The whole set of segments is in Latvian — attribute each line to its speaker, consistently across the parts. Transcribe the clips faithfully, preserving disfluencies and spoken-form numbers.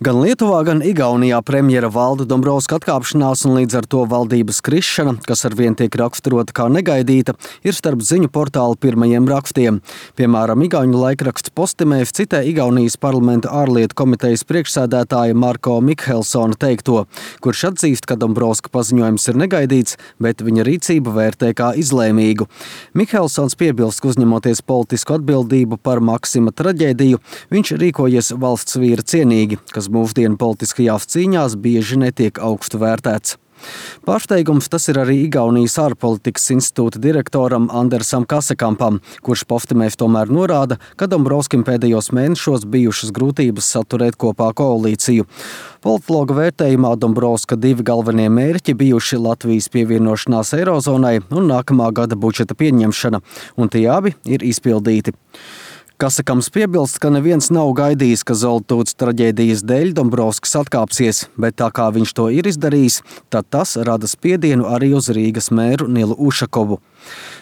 Speaker 1: Gan Lietuvā, gan Igaunijā premjera Valda Dombrovska atkāpšanās un līdz ar to valdības krišana, kas arvien tiek raksturota kā negaidīta, ir starp ziņu portālu pirmajiem rakstiem. Piemēram, igauņu laikraksts Postimeļs citē Igaunijas parlamenta ārlietu komitejas priekšsēdētāja Marko Mikhelsona teikto, kurš atzīst, ka Dombrovska paziņojums ir negaidīts, bet viņa rīcību vērtē kā izlēmīgu. Mikhelsons piebilst, ka uzņemoties politisku atbildību par Maksima traģēdiju, viņš rīkojies valsts vīra cienīgi, kas mūsdienu politiskajās cīņās bieži netiek augstu vērtēts. Pārsteigums tas ir arī Igaunijas ārpolitikas institūta direktoram Andersam Kasekampam, kurš Postimeļs tomēr norāda, ka Dombrovskim pēdējos mēnešos bijušas grūtības saturēt kopā koalīciju. Politologa vērtējumā Dombrovska divi galvenie mērķi bijuši Latvijas pievienošanās Eirozonai un nākamā gada budžeta pieņemšana, un tie abi ir izpildīti. Kasakams piebilst, ka neviens nav gaidījis, ka Zoltūts traģēdijas dēļ Dombrovskis atkāpsies, bet tā kā viņš to ir izdarījis, tad tas rada spiedienu arī uz Rīgas mēru Nilu Ušakovu.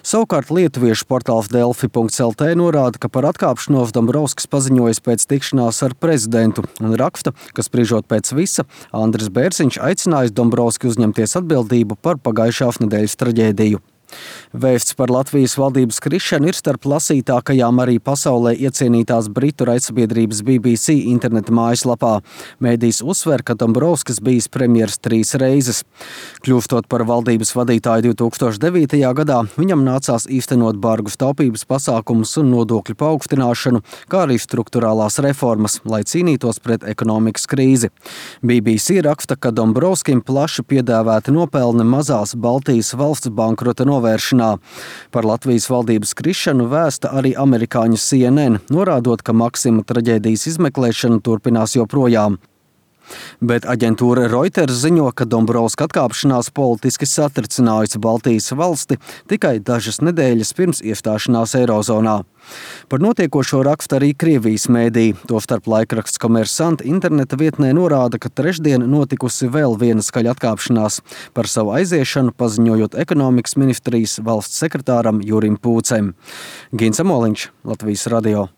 Speaker 1: Savukārt lietuviešu portāls delfi punkts el te norāda, ka par atkāpšanos Dombrovskis paziņojas pēc tikšanās ar prezidentu un raksta, ka spriežot pēc visa, Andris Bērziņš aicinājis Dombrovski uzņemties atbildību par pagājušās nedēļas traģēdiju. Vēsts par Latvijas valdības krišanu ir starp lasītākajām arī pasaulē iecienītās britu raidsabiedrības B B C interneta mājaslapā. Mēdījis uzsver, ka Dombrovskis bijis premjers trīs reizes. Kļūstot par valdības vadītāju divi tūkstoši devītajā gadā, viņam nācās īstenot bargus taupības pasākumus un nodokļu paaugstināšanu, kā arī strukturālās reformas, lai cīnītos pret ekonomikas krīzi. B B C raksta, ka Dombrovskim plaši piedāvāti nopelni mazās Baltijas valsts bankrota novēršanā. Par Latvijas valdības krišanu vēsta arī amerikāņu C N N, norādot, ka Maksima traģēdijas izmeklēšana turpinās joprojām. Bet aģentūra Reuters ziņo, ka Dombrovska atkāpšanās politiski satricinājusi Baltijas valsti tikai dažas nedēļas pirms iestāšanās Eirozonā. Par notiekošo raksta arī Krievijas mēdī, tostarp laikraksts Komersant interneta vietnē norāda, ka trešdien notikusi vēl viena skaļa atkāpšanās, par savu aiziešanu paziņojot ekonomikas ministrijas valsts sekretāram Jurim Pūcem. Gins Amoliņš, Latvijas radio.